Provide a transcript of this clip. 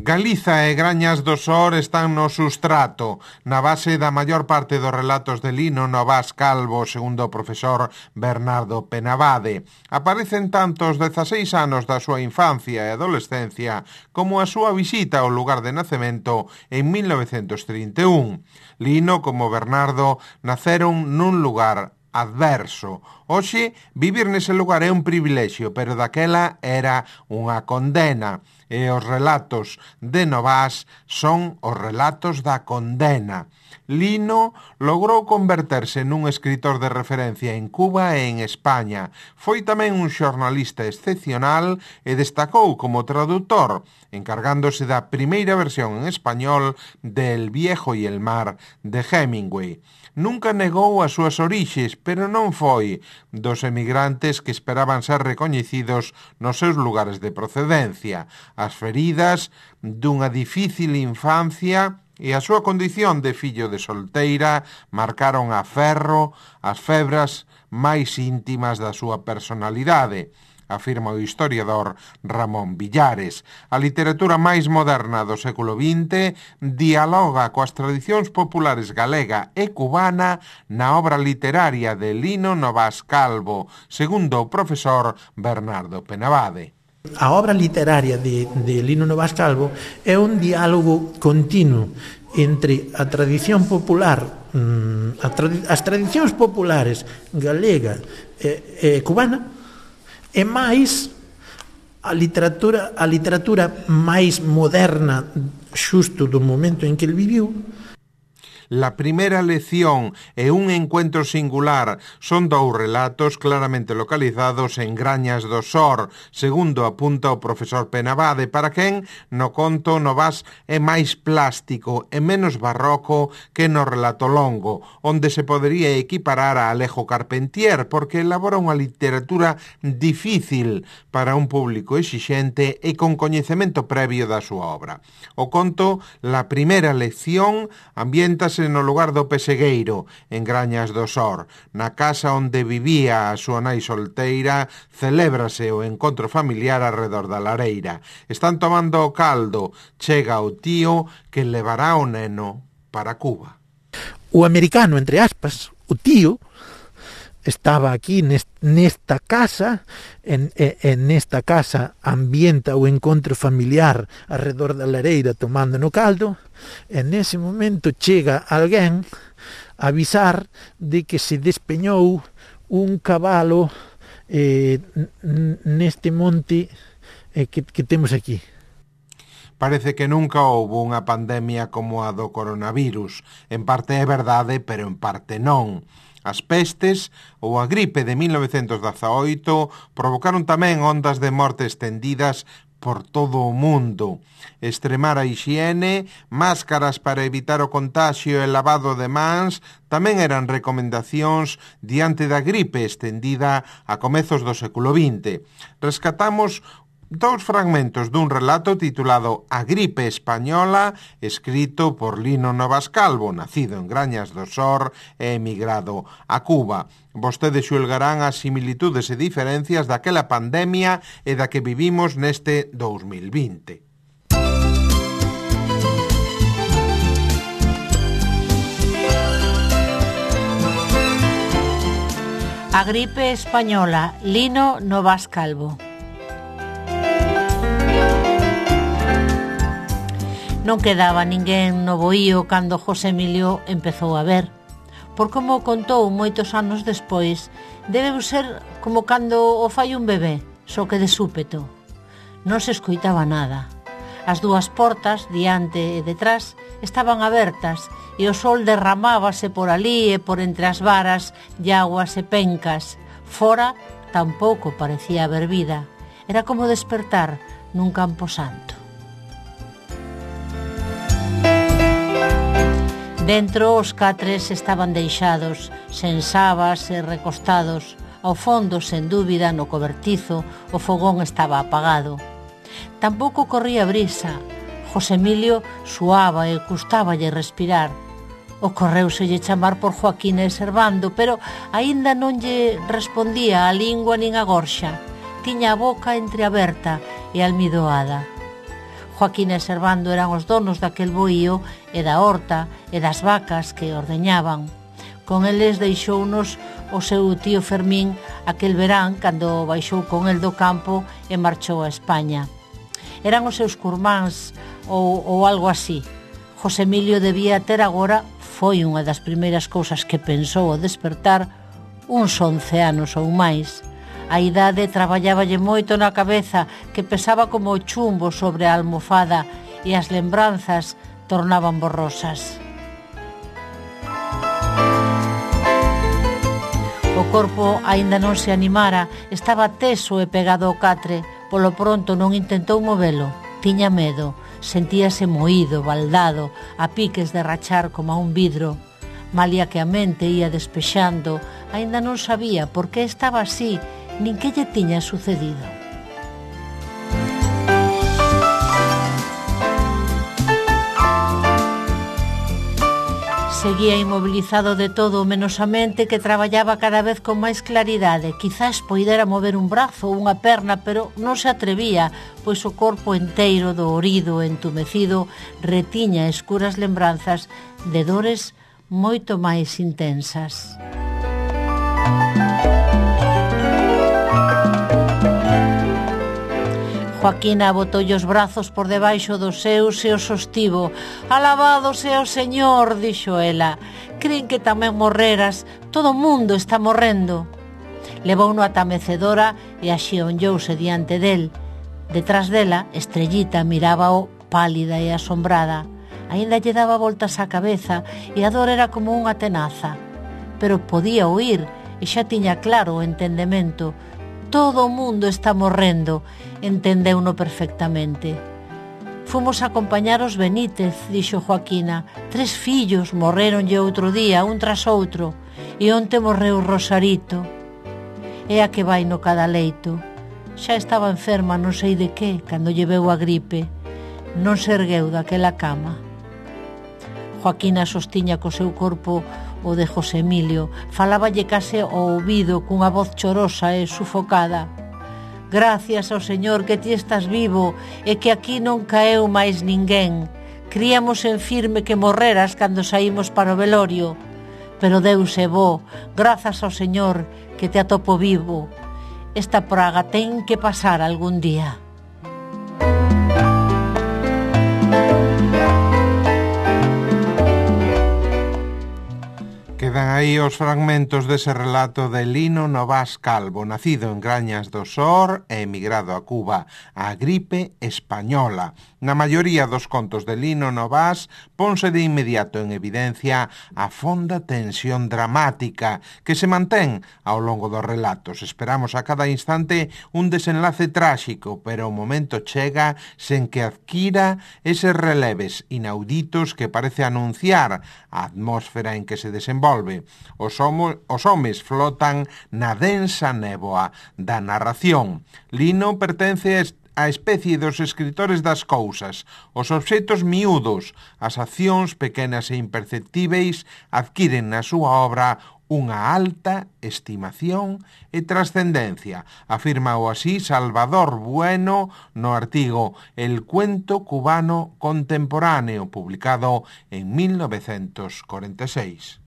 Galiza e Grañas do Sor están no sustrato, na base da maior parte dos relatos de Lino Novás Calvo, segundo o profesor Bernardo Penabade. Aparecen tanto os 16 anos da súa infancia e adolescencia como a súa visita ao lugar de nacemento en 1931. Lino, como Bernardo, naceron nun lugar adverso. Hoxe, vivir nese lugar é un privilexio, pero daquela era unha condena. E os relatos de Novás son os relatos da condena. Lino logrou converterse nun escritor de referencia en Cuba e en España. Foi tamén un xornalista excepcional e destacou como traductor, encargándose da primeira versión en español de El viejo y el mar de Hemingway. Nunca negou as súas orixes, pero non foi dos emigrantes que esperaban ser recoñecidos nos seus lugares de procedencia. As feridas dunha difícil infancia e a súa condición de fillo de solteira marcaron a ferro as febras máis íntimas da súa personalidade, afirma o historiador Ramón Villares. A literatura máis moderna do século XX dialoga coas tradicións populares galega e cubana na obra literaria de Lino Novás Calvo, segundo o profesor Bernardo Penabade. A obra literaria de Lino Novás Calvo é un diálogo continuo entre a tradición popular, as tradicións populares galega e cubana, e máis a literatura máis moderna xusto do momento en que el viviu. La primeira lección e un encuentro singular son dous relatos claramente localizados en Grañas do Sor, segundo apunta o profesor Penabade, para quen no conto Novás é máis plástico e menos barroco que no relato longo, onde se podería equiparar a Alejo Carpentier, porque elabora unha literatura difícil para un público exixente e con coñecemento previo da súa obra. O conto La primeira lección ambiéntase no lugar do Pesegueiro, en Grañas do Sor. Na casa onde vivía a súa nai solteira, celébrase o encontro familiar arredor da lareira. Están tomando o caldo, chega o tío que levará o neno para Cuba. O americano, entre aspas, o tío, estaba aquí nesta casa, en nesta casa ambienta o encontro familiar arredor da lareira tomando no caldo, e nese momento chega alguén a avisar de que se despeñou un cabalo neste monte que temos aquí. Parece que nunca houbo unha pandemia como a do coronavirus. En parte é verdade, pero en parte non. As pestes ou a gripe de 1918 provocaron tamén ondas de morte estendidas por todo o mundo. Extremar a hixiene, máscaras para evitar o contagio e lavado de mans tamén eran recomendacións diante da gripe estendida a comezos do século XX. Rescatamos dous fragmentos dun relato titulado A gripe española, escrito por Lino Novás Calvo, nacido en Grañas do Sor e emigrado a Cuba. Vostedes xulgarán as similitudes e diferencias daquela pandemia e da que vivimos neste 2020. A gripe española, Lino Novás Calvo. Non quedaba ninguén no boío cando José Emilio empezou a ver. Por como contou moitos anos despois, debeu ser como cando o fai un bebé, só que de súpeto. Non se escoitaba nada. As dúas portas, diante e detrás, estaban abertas e o sol derramábase por ali e por entre as varas, llaguas e pencas. Fora tampouco parecía haber vida. Era como despertar nun campo santo. Dentro os catres estaban deixados, sen sabas e recostados. Ao fondo, sen dúbida, no cobertizo, o fogón estaba apagado. Tampouco corría brisa. José Emilio suaba e custáballe respirar. Ocorreuselle chamar por Joaquín e Servando, pero aínda non lle respondía a lingua nin a gorxa. Tiña a boca entreaberta e almidoada. Joaquín e Servando eran os donos daquel boío e da horta e das vacas que ordeñaban. Con eles deixounos o seu tío Fermín aquel verán cando baixou con el do campo e marchou a España. Eran os seus curmáns ou algo así. José Emilio debía ter agora, foi unha das primeiras cousas que pensou ao despertar, uns 11 anos ou máis. A idade traballáballe moito na cabeza, que pesaba como o chumbo sobre a almofada, e as lembranzas tornaban borrosas. O corpo aínda non se animara, estaba teso e pegado ao catre. Polo pronto non intentou movelo. Tiña medo, sentíase moído, baldado, a piques de rachar como a un vidro. Malia que a mente ia despexando, aínda non sabía por que estaba así, nin que lle tiña sucedido. Seguía inmobilizado de todo menos a mente, que traballaba cada vez con máis claridade. Quizás poidera mover un brazo ou unha perna, pero non se atrevía, pois o corpo enteiro, dolorido e entumecido, retiña escuras lembranzas de dores moito máis intensas. Joaquina botoulle os brazos por debaixo dos seus e o sostivo. «Alabado sea o Señor», dixo ela. «Crin que tamén morreras, todo o mundo está morrendo». Levouno ata a mecedora e axeonllouse diante del. Detrás dela, Estrellita mirábao pálida e asombrada. Aínda lle daba voltas á cabeza e a dor era como unha tenaza. Pero podía oír e xa tiña claro o entendemento. Todo o mundo está morrendo, entendeuno perfectamente. Fomos a acompañar os Benítez, dixo Joaquina. 3 fillos morreronlle outro día, un tras outro, e onte morreu Rosarito. É a que vai no cada leito. Xa estaba enferma non sei de que, cando lle veu a gripe. Non se ergueu daquela cama. Joaquina sostiña co seu corpo o de José Emilio, faláballe case ao ouvido cunha voz chorosa e sufocada. «Gracias ao Señor que ti estás vivo e que aquí non caeu máis ninguén. Críamos en firme que morreras cando saímos para o velorio. Pero Deus é bo, grazas ao Señor que te atopo vivo. Esta praga ten que pasar algún día». Quedan aí os fragmentos dese relato de Lino Novás Calvo, nacido en Grañas do Sor e emigrado a Cuba, a gripe española. Na maioría dos contos de Lino Novás ponse de inmediato en evidencia a fonda tensión dramática que se mantén ao longo dos relatos. Esperamos a cada instante un desenlace tráxico, pero o momento chega sen que adquira eses releves inauditos que parece anunciar a atmósfera en que se desenvolve. Os homes flotan na densa néboa da narración. Lino pertence a especie dos escritores das cousas. Os obxectos miúdos, as accións pequenas e imperceptíveis adquiren na súa obra unha alta estimación e trascendencia. Afirmao así Salvador Bueno no artigo El cuento cubano contemporáneo, publicado en 1946.